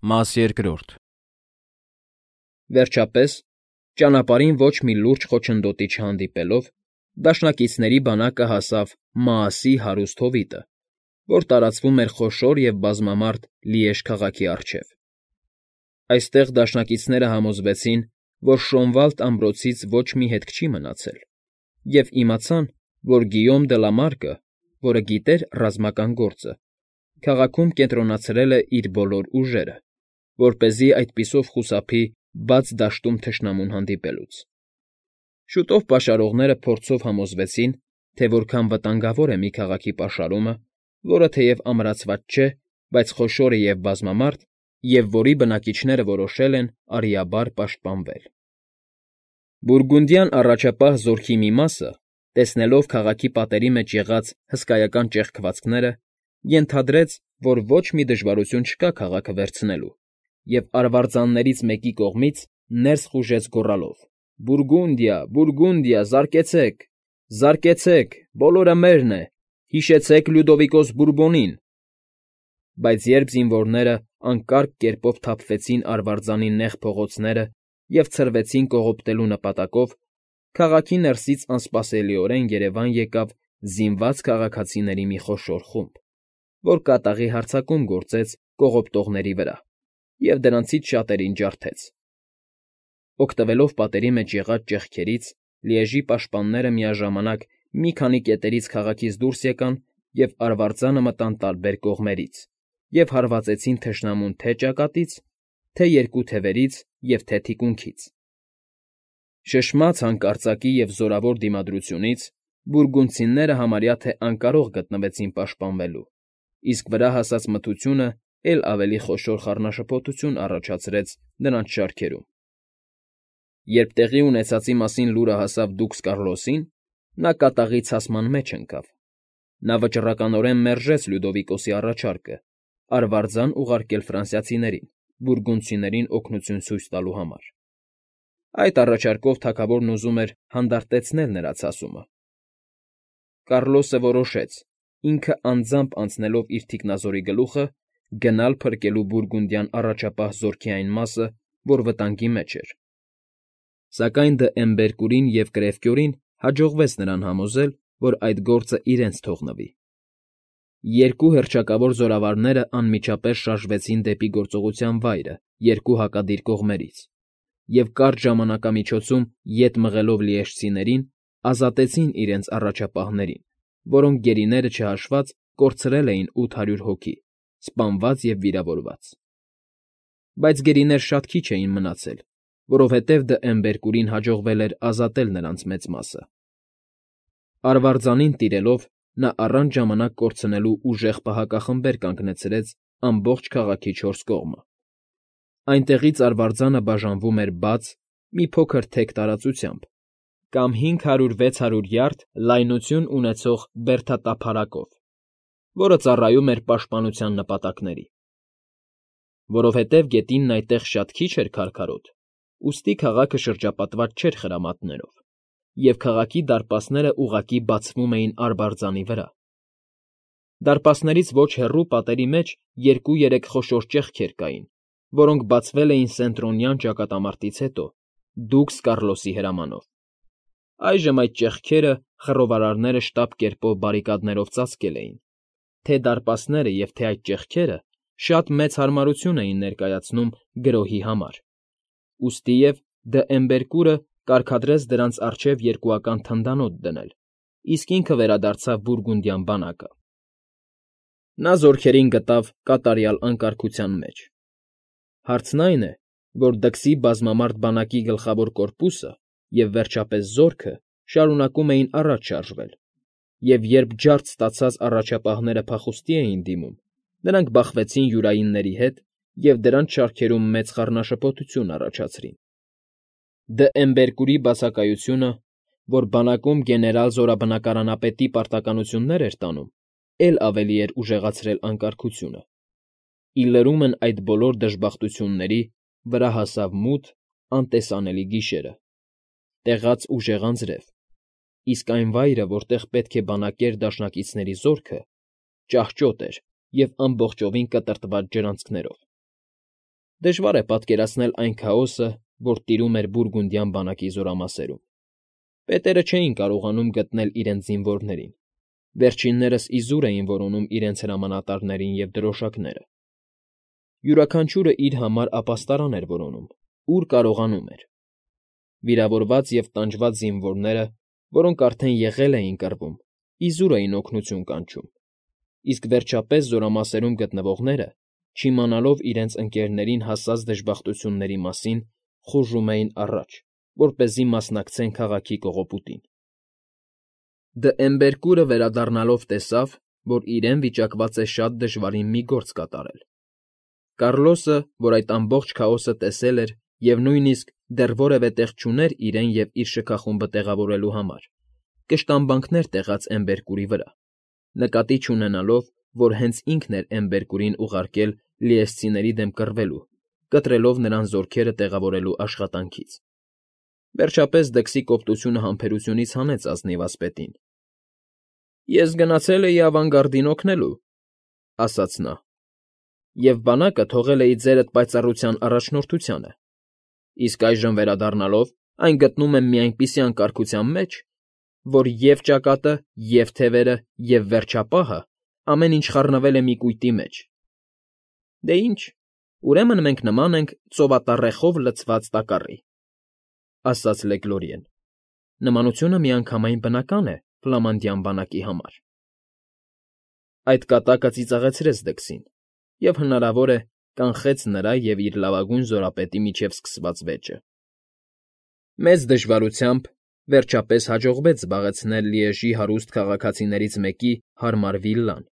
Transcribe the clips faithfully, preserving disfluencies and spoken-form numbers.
Մաս երկրորդ։ Վերջապես, ճանապարհին ոչ մի լուրջ խոչընդոտի չհանդիպելով, դաշնակիցների բանակը հասավ Մաասի հարուստ հովիտը, որ տարածվում էր խոշոր և բազմամարդ Լիեժ քաղաքի առջև. այստեղ դաշնակիցները համոզվեցին, որ Շոնվալդ ամրոցից ոչ մի հետք չի մնացել, և իմացան, որ Գիյոմ դը Լա Մարկը, որը գիտեր ռազմական գործը, քաղաքում կենտրոնացրել է իր բոլոր ուժերը, որպեսզի այդպիսով խուսափի բաց դաշտում թշնամուն հանդիպելուց։ Շուտով պաշարողները փորձով համոզվեցին, թե որքան վտանգավոր է մի քաղաքի պաշարումը, որը թեև ամրացված չէ, բայց խոշոր է և բազմամարդ, և որի բնակիչները որոշել են արիաբար պաշտպանվել։ Բուրգունդյան առաջապահ զորքի մի մասը, տեսնելով քաղաքի պատերի մեջ եղած հսկայական ճեղքվածքները, ենթադրեց, որ ոչ մի դժվարություն չկա քաղաքը վերցնելու, և արվարձաններից մեկի կողմից ներս խուժեց գոռալով. «Բուրգունդիա, Բուրգունդիա, զարկեցեք, զարկեցեք, բոլորը մերն է, հիշեցեք Լյուդովիկոս Բուրբոնին»։ Բայց երբ զինվորները անկարգ կերպով թափվեցին արվարձանի նեղ փողոցները և ցրվեցին կողոպտելու նպատակով, քաղաքի ներսից անսպասելիորեն երևան եկավ զինված քաղաքացիների մի խոշոր խումբ, որ կատաղի հարձակում գործեց կողոպտողների վրա և դրանցից շատերին ջարդեց։ Օգտվելով պատերի մեջ եղած ճեղքերից, Լիեժի պաշտպանները միաժամանակ մի քանի կետերից քաղաքից դուրս եկան և արվարձանը մտան տարբեր կողմերից և հարվածեցին թշնամուն թե՛ ճակատից, թե՛ երկու թևերից և թե՛ թիկունքից։ Շշմած հանկարծակի և զորավոր դիմադրությունից բուրգունդցիները համարյա թե անկարող գտնվեցին պաշտպանվելու, իսկ վրա հասած մթությունը էլ ավելի խոշոր խառնաշփոթություն առաջացրեց նրանց շարքերում։ Երբ տեղի ունեցածի մասին լուրը հասավ դուքս Կառլոսին, նա կատաղի ցասման մեջ ընկավ։ Նա վճռականորեն մերժեց Լյուդովիկոսի առաջարկը արվարձան ուղարկել ֆրանսիացիներին՝ բուրգունդցիներին օգնություն ցույց տալու համար։ Այդ առաջարկով թագավորն ուզում էր հանդարտեցնել նրա ցասումը։ Կառլոսը որոշեց, ինքը անձամբ անցնելով իր թիկնազորի գլուխը, գնալ փրկելու բուրգունդյան առաջապահ զորքի այն մասը, որ վտանգի մեջ էր։ Սակայն դ'Եմբերկուրին և Կրևկյորին հաջողվեց նրան համոզել, որ այդ գործը իրենց թողնվի։ Երկու հռչակավոր զորավարները անմիջապես շարժվեցին դեպի գործողության վայրը երկու հակադիր կողմերից և կարճ ժամանակամիջոցում ետ մղելով լիեժցիներին, ազատեցին իրենց առաջապահներին, որոնք գերիները չհաշված կորցրել էին ութ հարյուր հոգի՝ սպանված և վիրավորված։ Բայց գերիներ շատ քիչ էին մնացել, որովհետև դ'Եմբերկուրին հաջողվել էր ազատել նրանց մեծ մասը։ Արվարձանին տիրելով՝ նա առանց ժամանակ կորցնելու ուժեղ պահակախմբեր կանգնեցրեց ամբողջ քաղաքի չորս կողմը։ Այնտեղից արվարձանը բաժանվում էր բաց, մի փոքր թեք տարածությամբ կամ հինգ հարյուր վեց հարյուր յարդ լայնություն ունեցող բերդատափարակով, որը ծառայում էր պաշտպանության նպատակների։ Որովհետև գետինն այդտեղ շատ քիչ էր քարքարոտ, ուստի քաղաքը շրջապատված չէր խրամատներով, և քաղաքի դարպասները ուղղակի բացվում էին արվարձանի վրա։ Դարպասներից ոչ հեռու պատերի մեջ երկու֊երեք խոշոր ճեղքեր կային, որոնք բացվել էին Սենտրոնյան ճակատամարտից հետո, դուքս Կառլոսի հրամանով։ Այժմ այդ ճեղքերը խռովարարները շտապ կերպով բարիկադներով ծածկել էին, թե՛ դարպասները և թե՛ այդ ճեղքերը շատ մեծ հարմարություն էին ներկայացնում գրոհի համար, ուստիև դ'Եմբերկուրը կարգադրեց դրանց առջև երկուական թնդանոթ դնել, իսկ ինքը վերադարձավ բուրգունդյան բանակը։ Նա զորքերին գտավ կատարյալ անկարգության մեջ։ Հարցն այն է, որ դքսի բազմամարդ բանակի գլխավոր կորպուսը և, վերջապես, զորքը շարունակում էին առաջ շարժվել, և երբ ջարդ ստացած առաջապահները փախուստի էին դիմում, նրանք բախվեցին յուրայինների հետ և դրանց շարքերում մեծ խառնաշփոթություն առաջացրին։ Դ'Եմբերկուրի բացակայությունը, որ բանակում գեներալ֊զորաբնակարանապետի պարտականություններ էր տանում, էլ ավելի էր ուժեղացրել անկարգությունը։ Ի լրումն այդ բոլոր դժբախտությունների վրա հասավ մութ, անտեսանելի գիշերը, տեղաց ուժեղ անձրև, իսկ այն վայրը, որտեղ պետք է բանակեր դաշնակիցների զորքը, ճահճոտ էր և ամբողջովին կտրտված ջրանցքներով։ Դժվար է պատկերացնել այն քաոսը, որ տիրում էր բուրգունդյան բանակի զորամասերում. պետերը չէին կարողանում գտնել իրենց զինվորներին, վերջիններս իզուր էին որոնում իրենց հրամանատարներին և դրոշակները. յուրաքանչյուրը իր համար ապաստարան էր որոնում, ուր կարողանում էր. վիրավորված և տանջված զինվորները, որոնք արդեն եղել էին կռվում, իզուր էին օգնություն կանչում, իսկ վերջապես զորամասերում գտնվողները, չիմանալով իրենց ընկերներին հասած դժբախտությունների մասին, խուժում էին առաջ, որպեսզի մասնակցեն քաղաքի կողոպուտին։ Դէմբերկուրը վերադառնալով տեսավ, որ իրեն վիճակված է շատ դժվարին մի գործ կատարել։ Կառլոսը, որ այդ ամբողջ քաոսը տեսել էր և նույնիսկ դեռ որևէ տեղ չուներ իրեն և իր շքախումբը տեղավորելու համար, կշտամբանքներ տեղաց Էմբերկուրի վրա, նկատի չունենալով, որ հենց ինքն էր Էմբերկուրին ուղարկել լիեսցիների դեմ կռվելու, կտրելով նրան զորքերը տեղավորելու աշխատանքից։ Վերջապես դքսի կոպտությունը համբերությունից հանեց ազնիվ ասպետին։ ֊ Ես գնացել էի ավանգարդին օգնելու,֊ ասաց նա,֊ և բանակը թողել էի ձերդ պայծառության առաջնորդությանը, իսկ այժմ վերադառնալով այն գտնում եմ մի այնպիսի անկարգության մեջ, որ և՛ ճակատը, և՛ թևերը, և վերջապահը ամեն ինչ խառնվել է մի կույտի մեջ։ ֊ Դե ինչ, ուրեմն մենք նման ենք ծովատառեխով լցված տակառի,֊ ասաց Լեգլորիեն. նմանությունը միանգամայն բնական է ֆլամանդյան բանակի համար։ Այդ կատակը ծիծաղեցրեց դքսին և, հնարավոր է, կանխեց նրա և իր լավագույն զորապետի միջև սկսված վեճը։ Մեծ դժվարությամբ վերջապես հաջողվեց զբաղեցնել Լիեժի հարուստ քաղաքացիներից մեկի հարմար վիլլան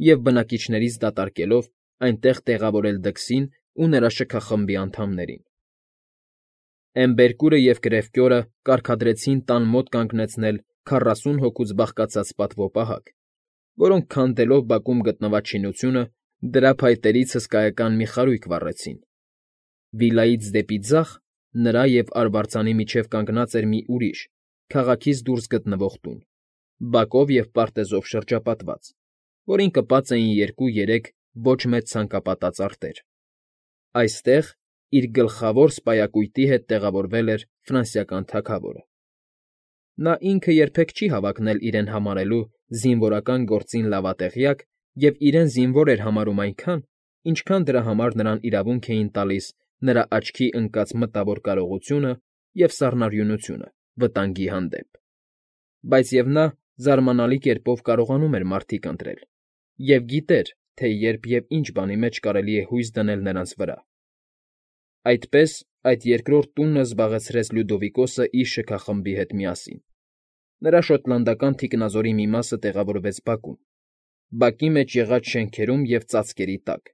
և, բնակիչներից դատարկելով, այնտեղ տեղավորել դքսին ու նրա շքախմբի անդամներին։ Էմբերկուրը և Կրևկյորը կարգադրեցին տան մոտ կանգնեցնել քառասուն հոգուց բաղկացած պատվոպահակ, որոնք քանդելով բակում գտնված շինությունը, դրա փայտերից հսկայական մի խարույկ վառեցին։ Վիլայից դեպի ձախ նրա և արվարձանի միջև կանգնած էր մի ուրիշ, քաղաքից դուրս գտնվող տուն, բակով և պարտեզով շրջապատված, որին կպած էին երկու֊երեք ոչ մեծ ցանկապատած արտեր։ Այստեղ, իր գլխավոր սպայակույտի հետ տեղավորվել էր ֆրանսիական թագավորը։ Նա ինքը երբեք չի հավակնել իրեն համարելու զինվորական գործին լավատեղյակ և իրեն զինվոր էր համարում այնքան, ինչքան դրա համար նրան իրավունք էին տալիս նրա աչքի ընկած մտավոր կարողությունը և սառնարյունությունը վտանգի հանդեպ։ Բայց և նա զարմանալի կերպով կարողանում էր մարդիկ ընտրել և գիտեր, թե երբ և ինչ բանի մեջ կարելի է հույս դնել նրանց վրա։ Այդպես այդ երկրորդ տունը զբաղեցրեց Լյուդովիկոսը իր շքախմբի հետ միասին։ Նրա շոտլանդական թիկնազորի մի մասը տեղավորվեց բակում, բակի մեջ եղած շենքերում և ծածկերի տակ,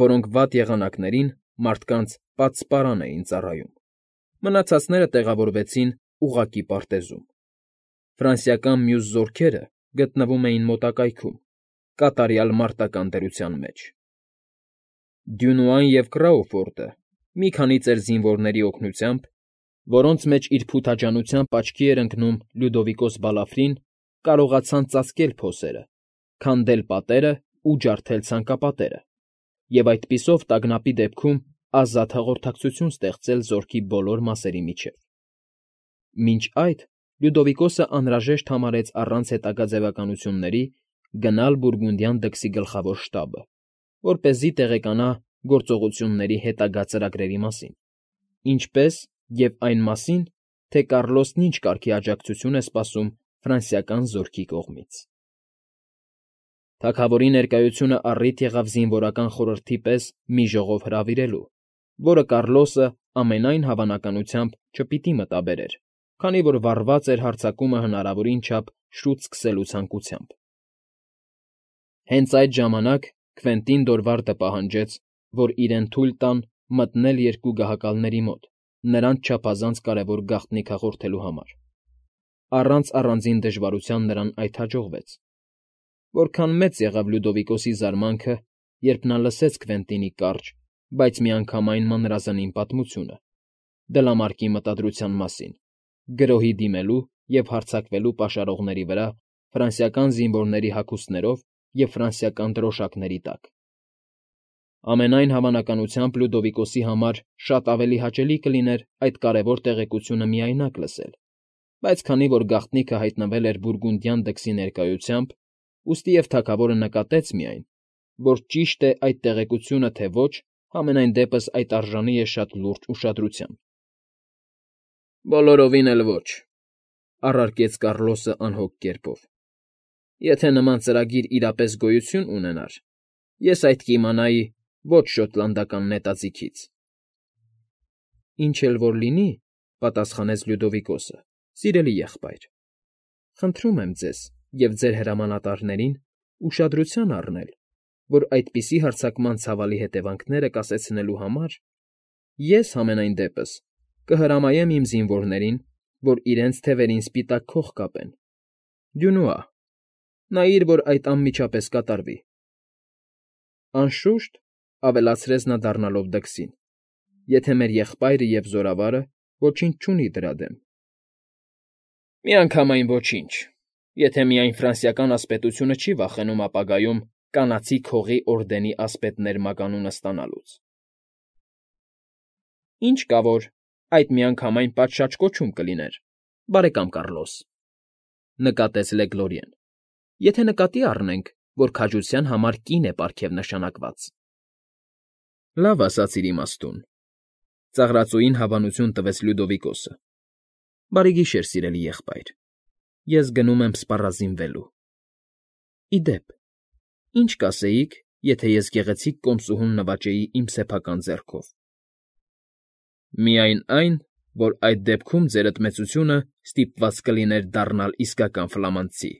որոնք վատ եղանակներին մարդկանց պատսպարան էին ծառայում։ Մնացածները տեղավորվեցին ուղղակի պարտեզում։ Ֆրանսիական մյուս զորքերը գտնվում էին մոտակայքում, կատարյալ մարտական դրության մեջ։ Դյունուան և Կրաուֆորդը մի քանի ծեր զինվորների օգնությամբ, որոնց մեջ իր փութաջանությամբ աչքի էր ընկնում Լյուդովիկոս Բալաֆրին, կարողացան ծածկել փոսերը, քանդել պատերը ու ջարդել ցանկապատերը և այդպիսով տագնապի դեպքում ազատ հաղորդակցություն ստեղծել զորքի բոլոր մասերի միջև։ Մինչ այդ Լյուդովիկոսը անհրաժեշտ համարեց առանց հետագա ձևակայությունների գնալ բուրգունդյան դքսի գլխավոր շտաբը, որպեսզի տեղեկանա գործողությունների հետագա ծրագրերի մասին, ինչպես և այն մասին, թե Կառլոսն ինչ կարգի աջակցություն է սպասում ֆրանսիական զորքի կողմից։ Թագավորի ներկայությունը առիթ եղավ զինվորական խորհրդի պես մի ժողով հրավիրելու, որը Կառլոսը, ամենայն հավանականությամբ, չպիտի մտաբերեր, քանի որ վառված էր հարձակումը հնարավորին չափ շուտ սկսելու ցանկությամբ։ Հենց այդ ժամանակ Քվենտին Դորվարդը պահանջեց, որ իրեն թույլ տան մտնել երկու գահակալների մոտ նրանց չափազանց կարևոր գաղտնիք հաղորդելու համար։ Առանց առանձին դժվարության նրան այդ հաջողվեց։ Որքան մեծ եղավ Լյուդովիկոսի զարմանքը, երբ նա լսեց Քվենտինի կարճ, բայց միանգամայն մանրազնին պատմությունը դլամարկի մտադրության մասին՝ գրոհի դիմելու և հարձակվելու պաշարողների վրա ֆրանսիական զինվորների հագուստներով և ֆրանսիական դրոշակների տակ։ Ամենայն հավանականությամբ Լյուդովիկոսի համար շատ ավելի հաճելի կլիներ այդ կարևոր տեղեկությունը միայնակ լսել, բայց քանի որ գաղտնիքը հայտնվել էր բուրգունդյան դքսի ներկայությամբ, ուստիև թագավորը նկատեց միայն, որ ճիշտ է այդ տեղեկությունը, թե ոչ, համենայն դեպս այդ արժանի է շատ լուրջ ուշադրության։ ֊ Բոլորովին էլ ոչ,֊ առարկեց Կառլոսը անհոգ կերպով։ Եթե նման ծրագիր իրապես գոյություն ունենար, ես այդ կիմանայի ոչ շոտլանդական նետաձիգից։ ֊ Ինչ էլ որ լինի,֊ պատասխանեց Լյուդովիկոսը,֊ սիրելի եղբայր, խնդրում եմ ձեզ և ձեր հրամանատարներին ուշադրության առնել, որ այդպիսի հարձակման ցավալի հետևանքները կասեցնելու համար ես, համենայն դեպս, կհրամայեմ իմ զինվորներին, որ իրենց թևերին սպիտակ քող կապեն։ Դյունուա, նայիր, որ այդ անմիջապես կատարվի։ ֊ Անշուշտ,֊ ավելացրեց նա դառնալով դքսին,֊ եթե մեր եղբայրը և զորավարը ոչինչ չունի դրա դեմ։ ֊ Միանգամայն ոչինչ, եթե միայն ֆրանսիական ասպետությունը չի վախենում ապագայում Կանացի Քողի օրդենի ասպետներ մականունը ստանալուց։ ֊ Ինչ կա որ, այդ միանգամայն պատշաճ կոչում կլիներ, բարեկամ Կառլոս,֊ նկատեց Լեգլորիեն,֊ եթե նկատի առնենք, որ քաջության համար կին է պարգև նշանակված։ ֊ Լավ ասացիր իմաստուն,֊ ծաղրածուին հավանություն տվեց Լյուդովիկոսը։֊ Բարի գիշեր, սիրելի եղբայր, ես գնում եմ սպառազինվելու։ Ի դեպ, ի՞նչ կասեիք, եթե ես գեղեցիկ կոմսուհուն նվաճեի իմ սեփական ձեռքով։ ֊ Միայն այն, որ այդ դեպքում ձերդ մեծությունը ստիպված կլիներ դառնալ իսկական ֆլամանդցի,֊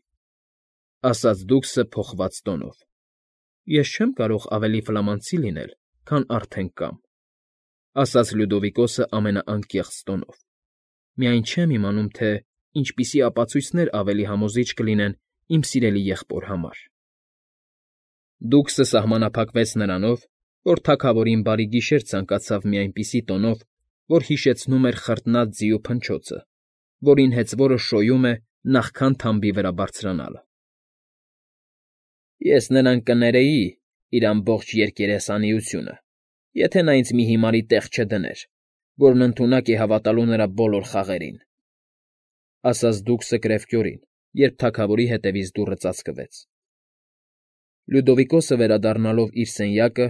ասաց դուքսը փոխված տոնով։ ֊ Ես չեմ կարող ավելի ֆլամանդցի լինել, քան արդեն կամ,֊ ասաց Լյուդովիկոսը ամենաանկեղծ տոնով։ Միայն չեմ իմանում, թե ինչպիսի ապացույցներ ավելի համոզիչ կլինեն իմ սիրելի եղբոր համար։ Դուքսը սահմանափակվեց նրանով, որ թագավորին բարի գիշեր ցանկացավ մի այնպիսի տոնով, որ հիշեցնում էր խրտնած ձիու փնչոցը, որին հեծվորը շոյում է նախքան թամբի վրա բարձրանալը։ ֊ Ես նրան կներեի իր ամբողջ երկերեսանիությունը, եթե նա ինձ մի հիմարի տեղ չդներ, որն ընդունակ է հավատալու նրա բոլոր խաղերին,֊ ասաց դուքսը կրևկյորին, երբ թագավորի հետևից դուռը ծածկվեց։ Լյուդովիկոսը վերադառնալով իր սենյակը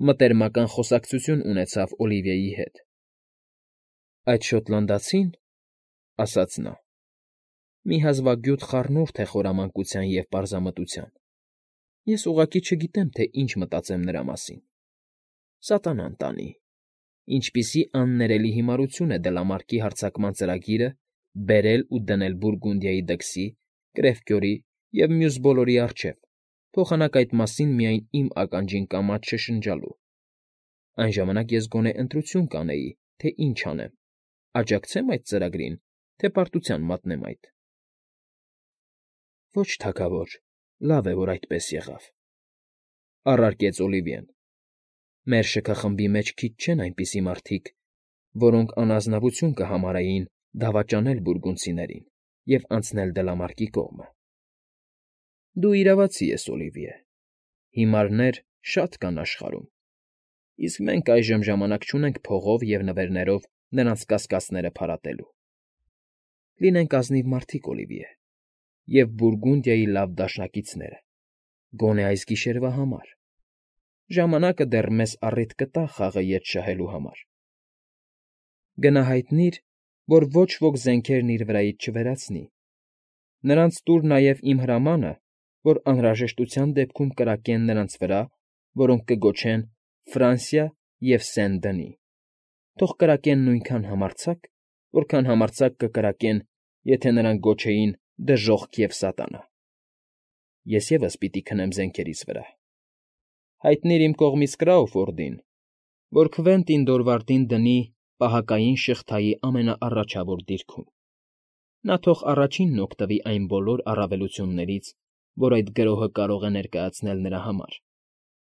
մտերմական խոսակցություն ունեցավ Օլիվիեի հետ։ ֊ Այդ շոտլանդացին,֊ ասաց նա,֊ մի հազվագյուտ խառնուրդ է խորամանկության և պարզամտության. ես ուղղակի չգիտեմ, թե ինչ մտածեմ նրա մասին։ Սատանան տանի, ինչպիսի աններելի հիմարություն է Դլամարկի հարձակման ծրագիրը բերել ու դնել Բուրգունդիայի դքսի, Կրևկյորի և մյուս բոլորի առջև, փոխանակ այդ մասին միայն իմ ականջին կամաց շշնջալու։ Այն ժամանակ ես գոնե ընտրություն կանեի, թե ինչ անեմ՝ աջակցե՞մ այդ ծրագրին, թե պարտության մատնեմ այդ։ ֊ Ոչ, թագավոր, լավ է, որ այդպես եղավ,֊ առարկեց Օլիվիեն։ Մեր շքախմբի մեջ քիչ չեն այնպիսի մարդիկ, որոնք անազնվություն կհամարեին դավաճանել բուրգունդցիներին և անցնել Դլամարկի կողմը։ Դու իրավացի ես, Օլիվիե, հիմարներ շատ կան աշխարհում, իսկ մենք այժմ ժամանակ չունենք փողով և նվերներով նրանց կասկածները փարատելու։ Լինենք ազնիվ մարդիկ, Օլիվիե, և Բուրգունդիայի լավ դաշնակիցները, գոնե այս գիշերվա համար։ Ժամանակը դեռ մեզ առիթ կտա խաղը ետ շահելու համար։ Գնա հայտնիր, որ ոչ ոք զենքերն իր վրայից չվերացնի։ Նրանց տուր նաև իմ հրամանը, որ անհրաժեշտության դեպքում կրակեն նրանց վրա, որոնք կգոչեն Ֆրանսիա և Սեն֊Դնի։ Թող կրակեն նույնքան համարձակ, որքան համարձակ կկրակեն, եթե նրանք գոչեին Դժոխք և Սատանա։ Ես ևս պիտի քնեմ զենքերիս վրա։ Հայտնիր իմ կողմից Կրաուֆորդին, որ Քվենտին Դորվարդին դնի պահակային շղթայի ամենաառաջավոր դիրքում։ Նա թող առաջինն օգտվի այն բոլոր առավելություններից, որ այդ գրոհը կարող է ներկայացնել նրա համար,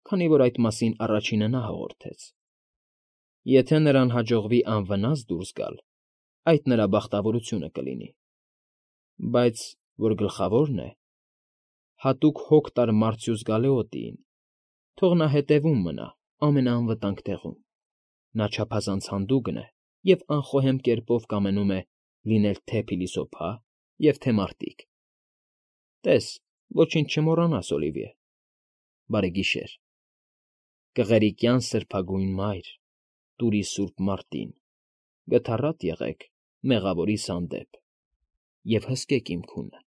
քանի որ այդ մասին առաջինը նա հաղորդեց։ Եթե նրան հաջողվի անվնաս դուրս գալ, այդ նրա բախտավորությունը կլինի։ Բայց, որ գլխավորն է, հատուկ հոգ տար Մարցյուս Գալեոտիին, թող նա հետևում մնա ամենաանվտանգ տեղում։ Նա չափազանց հանդուգն է և անխոհեմ կերպով կամենում է լինել թե՛ փիլիսոփա և թե՛ մարտիկ։ Տես, ոչինչ չմոռանաս, Օլիվիե… Բարեգիշեր… Կղերիկյան Սրբագույն Մայր, տուր ի սուրբ Մարտին, գթառատ եղեք մեղավորիս հանդեպ և հսկեք իմ քունը։